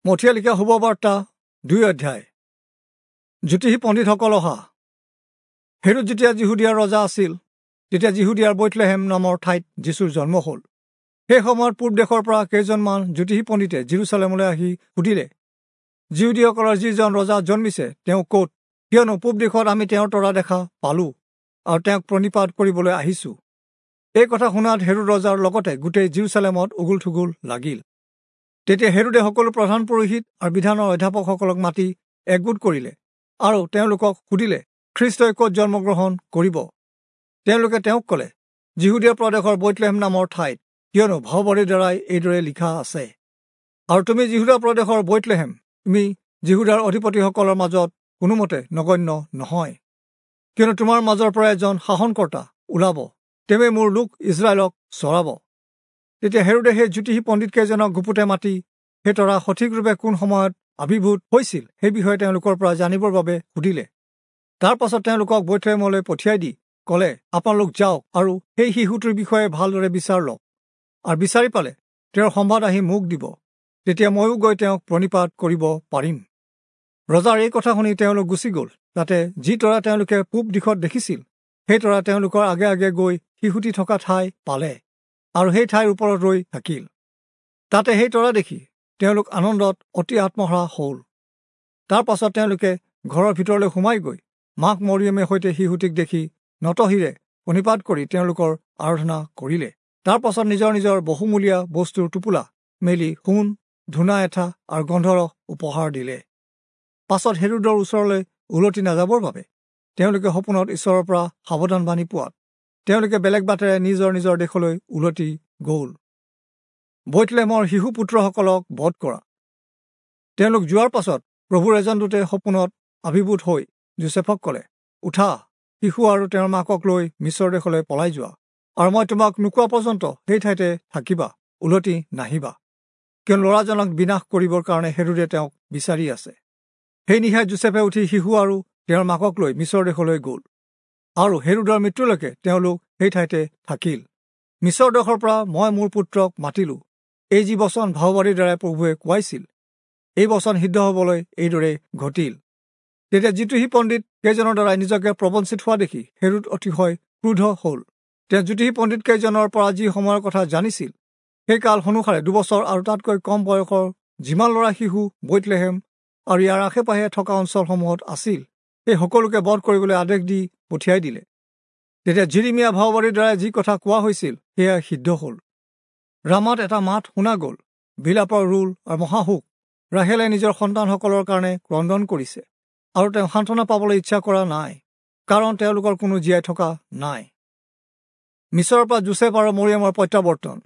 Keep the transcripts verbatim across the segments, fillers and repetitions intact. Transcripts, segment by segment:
মথিয়ে লিখা শুভবাৰ্তা দুই অধ্যায়। জ্যোতিষী পণ্ডিতসকল অহা। হেৰোদ যেতিয়া যিহুদীয়াৰ ৰজা আছিল, তেতিয়া যিহুদীয়াৰ বৈথলেহেম নামৰ ঠাইত যীশুৰ জন্ম হ'ল। সেই সময়ত পূব দেশৰ পৰা কেইজনমান জ্যোতিষী পণ্ডিতে জিৰচালেমলৈ আহি সুধিলে, যিহুদীসকলৰ যিজন ৰজা জন্মিছে তেওঁ ক'ত? কিয়নো পূব দেশত আমি তেওঁৰ তৰা দেখা পালোঁ আৰু তেওঁক প্ৰণিপাত কৰিবলৈ আহিছোঁ। এই কথা শুনাত হেৰোদ ৰজাৰ লগতে গোটেই জিৰচালেমত উগুল থুগুল লাগিল। তেতিয়া হেৰোদে সকলো প্ৰধান পুৰোহিত আৰু বিধানৰ অধ্যাপকসকলক মাতি একগোট কৰিলে আৰু তেওঁলোকক সুধিলে, খ্ৰীষ্টই ক'ত জন্মগ্ৰহণ কৰিব? তেওঁলোকে তেওঁক ক'লে, যিহুদীয়া প্ৰদেশৰ বৈথলেহেম নামৰ ঠাইত, কিয়নো ভাওবাদীৰ দ্বাৰাই এইদৰে লিখা আছে, আৰু তুমি যিহুদা প্ৰদেশৰ বৈথলেহেম, তুমি যিহুদাৰ অধিপতিসকলৰ মাজত কোনোমতে নগণ্য নহয়, কিয়নো তোমাৰ মাজৰ পৰা এজন শাসনকৰ্তা ওলাব, তেওঁৱে মোৰ লোক ইজৰাইলক চৰাব। তেতিয়া হেৰোদে সেই জ্যোতিষী পণ্ডিতকেইজনক গুপুতে মাতি সেই তৰা সঠিকৰূপে কোন সময়ত আৱিৰ্ভূত হৈছিল সেই বিষয়ে তেওঁলোকৰ পৰা জানিবৰ বাবে সুধিলে। তাৰ পাছত তেওঁলোকক বৈথলেহেমলৈ পঠিয়াই দি ক'লে, আপোনালোক যাওক আৰু সেই শিশুটোৰ বিষয়ে ভালদৰে বিচাৰ লওক, আৰু বিচাৰি পালে তেওঁৰ সম্বাদ আহি মোক দিব, তেতিয়া ময়ো গৈ তেওঁক প্ৰণিপাত কৰিব পাৰিম। ৰজাৰ এই কথা শুনি তেওঁলোক গুচি গ'ল। তাতে যি তৰা তেওঁলোকে পূব দিশত দেখিছিল, সেই তৰা তেওঁলোকৰ আগে আগে গৈ শিশুটি থকা ঠাই পালে আৰু সেই ঠাইৰ ওপৰত ৰৈ থাকিল। তাতে সেই তৰা দেখি তেওঁলোক আনন্দত অতি আত্মহাৰা হ'ল। তাৰ পাছত তেওঁলোকে ঘৰৰ ভিতৰলৈ সোমাই গৈ মাক মৰিয়মে সৈতে শিশুটিক দেখি নতশিৰে প্ৰণিপাত কৰি তেওঁলোকৰ আৰাধনা কৰিলে। তাৰ পাছত নিজৰ নিজৰ বহুমূলীয়া বস্তুৰ টোপোলা মেলি সোণ, ধূনা এঠা আৰু গন্ধৰস উপহাৰ দিলে। পাছত হেৰোদৰ ওচৰলৈ উলটি নাযাবৰ বাবে তেওঁলোকে সপোনত ঈশ্বৰৰ পৰা সাৱধানবাণী পোৱাত তেওঁলোকে বেলেগ বাটেৰে নিজৰ নিজৰ দেশলৈ উলটি গ'ল। বৈথলেহেমৰ শিশুপুত্ৰসকলক বধ কৰা। তেওঁলোক যোৱাৰ পাছত প্ৰভুৰ এজন দূতে সপোনত আৱিৰ্ভূত হৈ যোচেফক ক'লে, উঠা, শিশু আৰু তেওঁৰ মাকক লৈ মিছৰ দেশলৈ পলাই যোৱা, আৰু মই তোমাক নোকোৱা পৰ্যন্ত সেই ঠাইতে থাকিবা, উলটি নাহিবা, কিয়নো ল'ৰাজনক বিনাশ কৰিবৰ কাৰণে হেৰোদে তেওঁক বিচাৰি আছে। সেই নিশাই যোচেফে উঠি শিশু আৰু তেওঁৰ মাকক লৈ মিছৰ দেশলৈ গ'ল, আৰু হেৰোদৰ মৃত্যুলৈকে তেওঁলোক সেই ঠাইতে থাকিল। মিছৰ দেশৰ পৰা মই মোৰ পুত্ৰক মাতিলোঁ, এই যি বচন ভাওবাদীৰ দ্বাৰাই প্ৰভুৱে কোৱাইছিল, এই বচন সিদ্ধ হ'বলৈ এইদৰে ঘটিল। তেতিয়া জ্যোতিষী পণ্ডিত কেইজনৰ দ্বাৰাই নিজকে প্ৰবঞ্চিত হোৱা দেখি হেৰোদ অতিশয় ক্ৰোধ হ'ল। তেওঁ জ্যোতিষী পণ্ডিত কেইজনৰ পৰা যি সময়ৰ কথা জানিছিল, সেই কাল অনুসাৰে দুবছৰ আৰু তাতকৈ কম বয়সৰ যিমান ল'ৰা শিশু বৈথলেহেম আৰু ইয়াৰ আশে পাশে থকা অঞ্চলসমূহত আছিল, সেই সকলোকে বধ কৰিবলৈ আদেশ দি পঠিয়াই দিলে। তেতিয়া জিৰিমিয়া ভাওবাদীৰ দ্বাৰাই যি কথা কোৱা হৈছিল সেয়া সিদ্ধ হ'ল। ৰামাত এটা মাত শুনা গ'ল, বিলাপৰ ৰোল আৰু মহাশোক। ৰাহেলে নিজৰ সন্তানসকলৰ কাৰণে ক্ৰদন কৰিছে আৰু তেওঁ সান্তনা পাবলৈ ইচ্ছা কৰা নাই, কাৰণ তেওঁলোকৰ কোনো জীয়াই থকা নাই। মিছৰৰ পৰা যোচেফ আৰু মৰিয়মৰ প্ৰত্যাৱৰ্তন।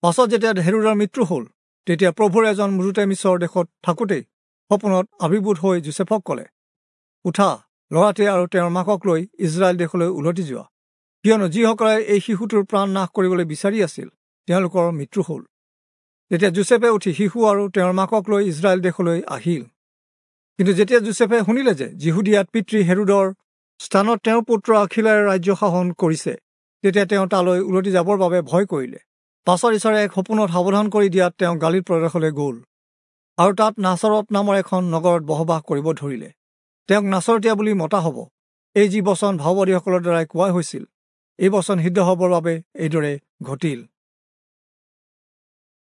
পাছত যেতিয়া হেৰোদৰ মৃত্যু হ'ল, তেতিয়া প্ৰভুৰ এজন দূতে মিছৰ দেশত থাকোঁতেই সপোনত আৱিৰ্ভূত হৈ যোচেফক ক'লে, উঠা, ল'ৰাটোৱে আৰু তেওঁৰ মাকক লৈ ইজৰাইল দেশলৈ উলটি যোৱা, কিয়নো যিসকলে এই শিশুটোৰ প্ৰাণ নাশ কৰিবলৈ বিচাৰি আছিল তেওঁলোকৰ মৃত্যু হ'ল। তেতিয়া যোচেফে উঠি শিশু আৰু তেওঁৰ মাকক লৈ ইজৰাইল দেশলৈ আহিল। কিন্তু যেতিয়া যোচেফে শুনিলে যে যিহুদীয়াত পিতৃ হেৰোদৰ স্থানত তেওঁৰ পুত্ৰ আখিলায়ে ৰাজ্য শাসন কৰিছে, তেতিয়া তেওঁ তালৈ উলটি যাবৰ বাবে ভয় কৰিলে। পাছত ঈশ্বৰে এক সপোনত সাৱধান কৰি দিয়াত তেওঁ গালিল প্ৰদেশলৈ গ'ল আৰু তাত নাচৰত নামৰ এখন নগৰত বসবাস কৰিব ধৰিলে। তেওঁক নাচৰতীয়া বুলি মতা হ'ব, এই যি বচন ভাওবাদীসকলৰ দ্বাৰাই কোৱা হৈছিল, এই বচন সিদ্ধ হ'বৰ বাবে এইদৰে ঘটিল।